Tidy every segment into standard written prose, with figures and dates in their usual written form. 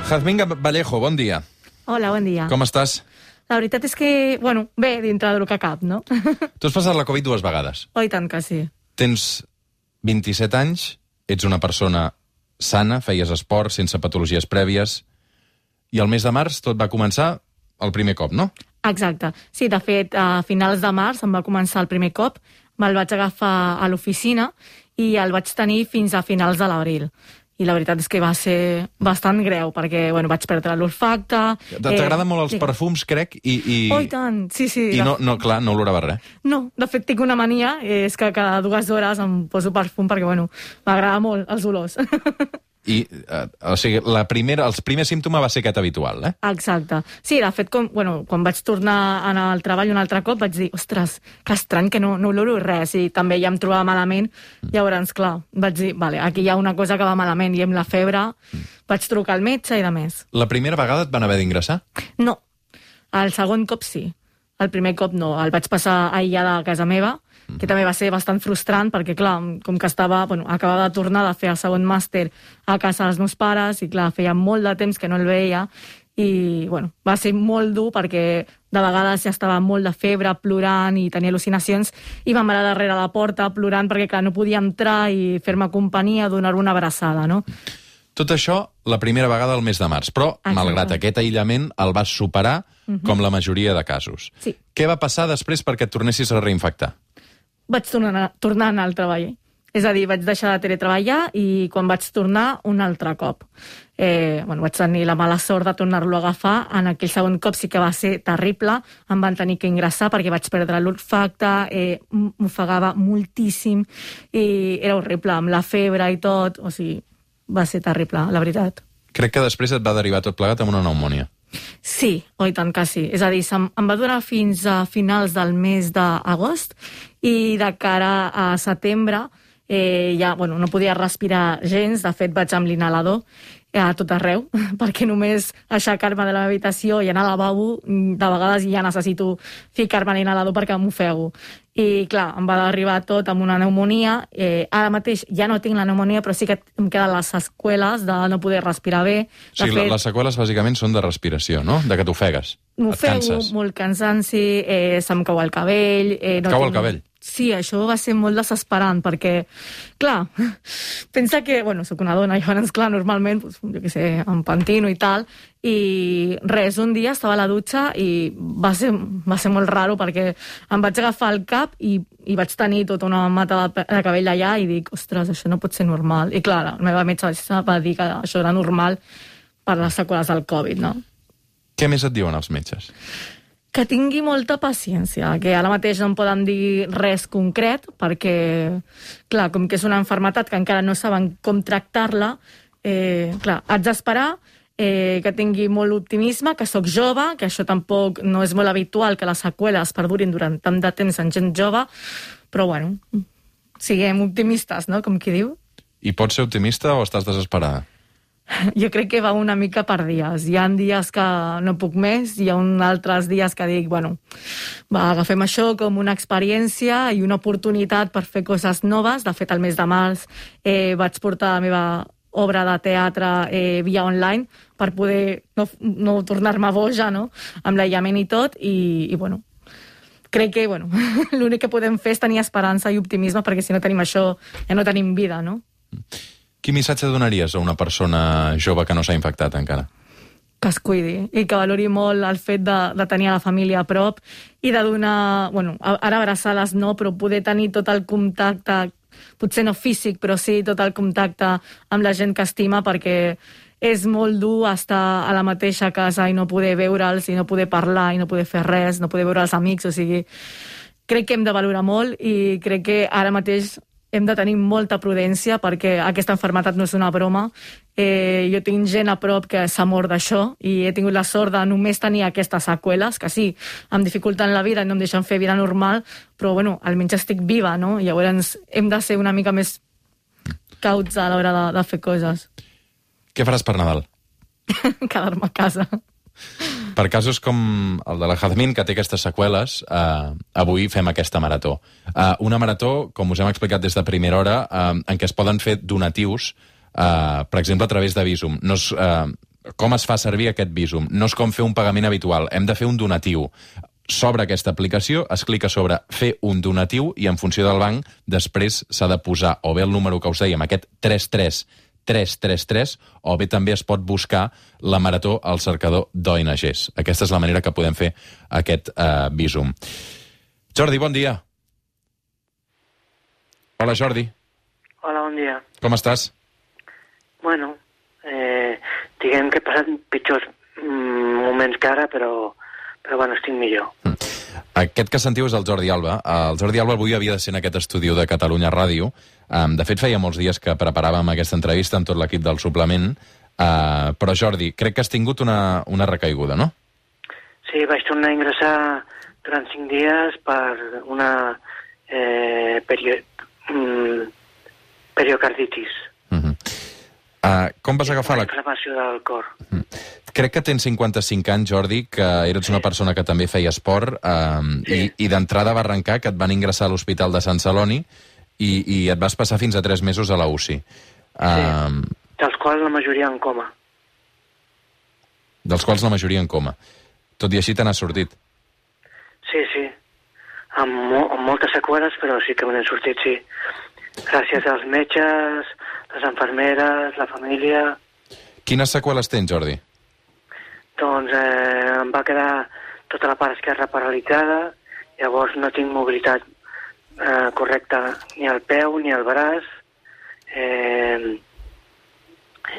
Jazmín Vallejo, bon dia. Hola, bon dia. Com estàs? La veritat és que, bueno, bé, dintre del que cap, no? Tu has passat la Covid 2 vegades. Oh, i tant que sí. Tens 27 anys, ets una persona sana, feies esport, sense patologies prèvies, i al mes de març tot va començar el primer cop, no? Exacte. Sí, de fet, a finals de març em va començar el primer cop, me'l vaig agafar a l'oficina i el vaig tenir fins a finals de l'abril. I la veritat és que va ser bastant greu, perquè bueno, vaig perdre l'olfacte... T'agraden molt els perfums, crec, i... Oh, i tant, sí. I clar, no olorava res. No, de fet tinc una mania, és que cada 2 hores em poso perfum perquè, bueno, m'agrada molt els olors. I, o sigui, els primers símptomes va ser aquest habitual, eh? Exacte. Sí, de fet, quan vaig tornar a anar al treball un altre cop, vaig dir, ostres, que estrany que no oloro res, i també ja em trobava malament. Llavors, clar, vaig dir, vale, aquí hi ha una cosa que va malament, i amb la febre vaig trucar al metge i de més. La primera vegada et van haver d'ingressar? No. El segon cop sí. El primer cop no. El vaig passar aïllada a casa meva, que també va ser bastant frustrant, perquè, clar, com que acabava de tornar de fer el segon màster a casa dels meus pares, i, clar, feia molt de temps que no el veia, i, bueno, va ser molt dur, perquè de vegades ja estava molt de febre, plorant, i tenia al·lucinacions, i ma mare darrere la porta plorant, perquè, clar, no podia entrar i fer-me companyia, donar una abraçada, no? Tot això la primera vegada al mes de març, però, malgrat aquest aïllament, el vas superar com la majoria de casos. Sí. Què va passar després perquè et tornessis a reinfectar? Vaig tornar a anar al treball. És a dir, vaig deixar de teletreballar i quan vaig tornar un altre cop. Vaig tenir la mala sort de tornar-lo a agafar. En aquell segon cop sí que va ser terrible. Em van tenir que ingressar perquè vaig perdre l'olfacte, m'ofegava moltíssim i era horrible, amb la febre i tot. O sigui, va ser terrible, la veritat. Crec que després et va derivar tot plegat amb una pneumònia. Sí, oi tant que sí. És a dir, em va durar fins a finals del mes d'agost i de cara a setembre ja no podia respirar gens. De fet, vaig amb l'inhalador a tot arreu, perquè només aixecar-me de la meva habitació i anar al lavabo, de vegades ja necessito ficar-me a l'inhalador perquè m'ofego. I, clar, em va arribar tot amb una pneumonia. Ara mateix ja no tinc la pneumonia, però sí que em queden les seqüeles de no poder respirar bé. Sí, les seqüeles bàsicament són de respiració, no? De que t'ofegues. M'ofego, molt cansanci, se'm cau el cabell... Cau el cabell? Sí, això va ser molt desesperant, perquè, clar, pensa que, soc una dona, i llavors, clar, normalment, jo què sé, em pentino i tal, i res, un dia estava a la dutxa i va ser molt raro, perquè em vaig agafar el cap i vaig tenir tota una mata de cabell allà i dic, ostres, això no pot ser normal. I clar, la meva metge va dir que això era normal per les seqüeles del Covid, no? Què més et diuen els metges? Que tingui molta paciència, que ara mateix no em poden dir res concret, perquè, clar, com que és una malaltia que encara no saben com tractar-la, clar, haig d'esperar, que tingui molt optimisme, que sóc jove, que això tampoc no és molt habitual, que les seqüeles perdurin durant tant de temps en gent jove, però, siguem optimistes, no?, com qui diu. I pots ser optimista o estàs desesperada? Jo crec que va una mica per dies. Hi ha dies que no puc més, hi ha altres dies que dic, agafem això com una experiència i una oportunitat per fer coses noves. De fet, al mes de març vaig portar la meva obra de teatre via online per poder no tornar-me boja, no?, amb l'aïllament i tot, i crec que, l'únic que podem fer és tenir esperança i optimisme, perquè si no tenim això, ja no tenim vida, no? Quin missatge donaries a una persona jove que no s'ha infectat encara? Que es cuidi i que valori molt el fet de tenir a la família a prop i de donar, ara abraçades no, però poder tenir tot el contacte, potser no físic, però sí tot el contacte amb la gent que estima, perquè és molt dur estar a la mateixa casa i no poder veure'ls, i no poder parlar, i no poder fer res, no poder veure els amics. O sigui, crec que hem de valorar molt i crec que ara mateix hem de tenir molta prudència, perquè aquesta malaltia no és una broma. Jo tinc gent a prop que s'ha mort d'això i he tingut la sort de només tenir aquestes seqüeles, que sí, em dificulten la vida i no em deixen fer vida normal, però almenys estic viva, no? Llavors hem de ser una mica més cauts a l'hora de fer coses. Què faràs per Nadal? Quedar-me a casa. Per casos com el de la Jazmín, que té aquestes seqüeles, avui fem aquesta marató. Una marató, com us hem explicat des de primera hora, en què es poden fer donatius, per exemple, a través de Bizum. No és com es fa servir aquest Bizum. No és com fer un pagament habitual, hem de fer un donatiu. S'obre aquesta aplicació, es clica sobre fer un donatiu i en funció del banc després s'ha de posar o bé el número que us dèiem, aquest 33333, o bé també es pot buscar la marató al cercador d'ONGs. Aquesta és la manera que podem fer aquest Bizum. Jordi, bon dia. Hola, Jordi. Hola, bon dia. Com estàs? Bueno, diguem que he passat pitjors moments que ara, però bueno, estic millor. Aquest que sentiu és el Jordi Alba. El Jordi Alba avui havia de ser en aquest estudi de Catalunya Ràdio. De fet, feia molts dies que preparàvem aquesta entrevista amb tot l'equip del suplement. Però, Jordi, crec que has tingut una recaiguda, no? Sí, vaig tornar a ingressar durant 5 dies per una periocarditis. Com vas agafar la inflamació del cor. Crec que tens 55 anys, Jordi, que eres una persona que també feia esport i d'entrada va arrencar que et van ingressar a l'Hospital de Sant Celoni i et vas passar fins a 3 mesos a la UCI. Dels quals la majoria en coma. Tot i així te n'has sortit. Sí. Amb moltes seqüeles, però sí que me n'he sortit, sí. Gràcies als metges, les infermeres, la família... Quines seqüeles tens, Jordi? Doncs em va quedar tota la part esquerra paralitzada, llavors no tinc mobilitat correcta ni al peu ni al braç,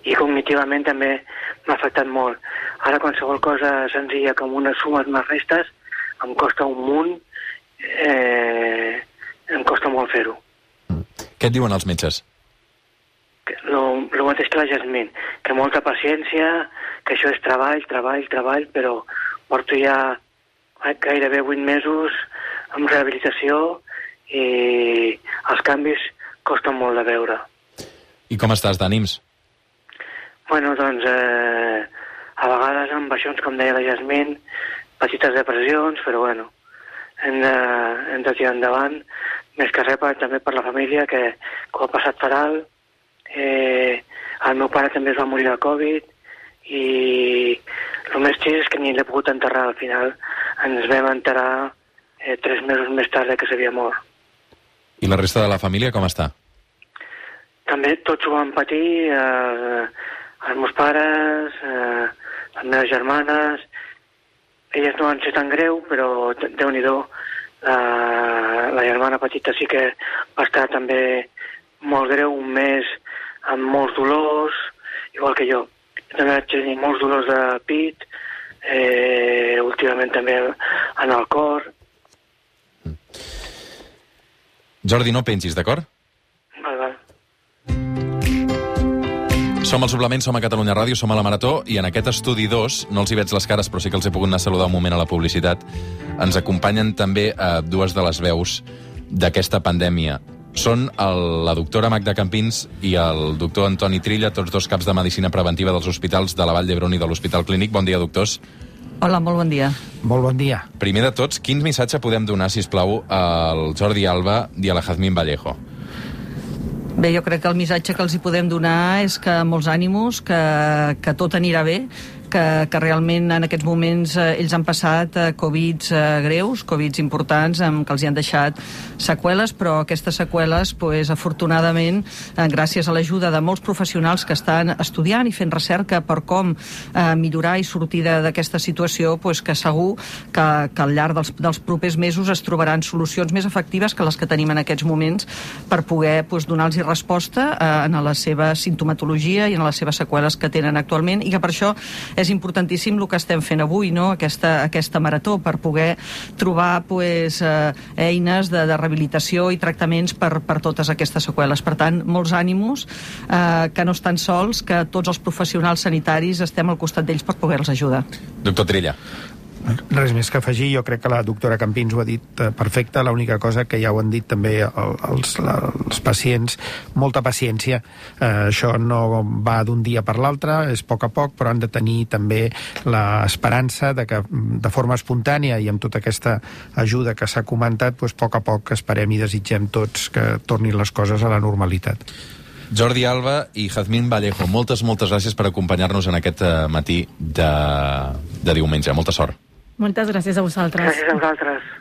i cognitivament també m'ha afectat molt. Ara qualsevol cosa senzilla com unes sumes més restes em costa un munt, em costa molt fer-ho. Què et diuen els metges? Lo mateix que la Jasmine, que molta paciència, que això és treball, però porto ja gairebé 8 mesos amb rehabilitació i els canvis costen molt de veure. I com estàs d'ànims? Bueno, doncs, a vegades amb baixons, com deia la Jasmine, petites depressions, però bueno, hem de tirar endavant, més que res també per la família, que ho ha passat fatal. El meu pare també es va morir de Covid i el més trist és que ni l'he pogut enterrar. Al final ens vam enterrar 3 mesos més tard que s'havia mort. I la resta de la família com està? També tots ho van patir, els meus pares, les meves germanes. Elles no van ser tan greu, però Déu-n'hi-do, la germana petita sí que va estar també molt greu, un mes amb molts dolors, igual que jo. També vaig tenir molts dolors de pit, últimament també en el cor. Jordi, no pengis, d'acord? Val. Som al suplement, som a Catalunya Ràdio, som a la Marató, i en aquest estudi 2, no els hi veig les cares, però sí que els he pogut anar a saludar un moment a la publicitat, ens acompanyen també dues de les veus d'aquesta pandèmia. Són la doctora Magda Campins i el doctor Antoni Trilla, tots dos caps de Medicina Preventiva dels hospitals de la Vall d'Hebron i de l'Hospital Clínic. Bon dia, doctors. Hola, molt bon dia. Molt bon dia. Primer de tots, quin missatge podem donar, sisplau, al Jordi Alba i a la Jazmín Vallejo? Bé, jo crec que el missatge que els hi podem donar és que molts ànimos, que tot anirà bé, que realment en aquests moments ells han passat Covids greus, Covids importants, que els hi han deixat seqüeles, però aquestes seqüeles, afortunadament, gràcies a l'ajuda de molts professionals que estan estudiant i fent recerca per com millorar i sortir d'aquesta situació, que segur que al llarg dels propers mesos es trobaran solucions més efectives que les que tenim en aquests moments per poder donar-los resposta en la seva sintomatologia i en les seves seqüeles que tenen actualment, i que per això és importantíssim el que estem fent avui, no? Aquesta marató, per poder trobar eines de rehabilitació i tractaments per totes aquestes seqüeles. Per tant, molts ànimos, que no estan sols, que tots els professionals sanitaris estem al costat d'ells per poder-los ajudar. Doctor Trilla. Res més que afegir, jo crec que la doctora Campins ho ha dit perfecte, l'única cosa que ja ho han dit també els pacients, molta paciència, això no va d'un dia per l'altre, és a poc, però han de tenir també l'esperança de que de forma espontània i amb tota aquesta ajuda que s'ha comentat, a poc esperem i desitgem tots que tornin les coses a la normalitat. Jordi Alba i Jazmín Vallejo, moltes gràcies per acompanyar-nos en aquest matí de diumenge. Molta sort. Moltes gràcies a vosaltres. Gràcies a vosaltres.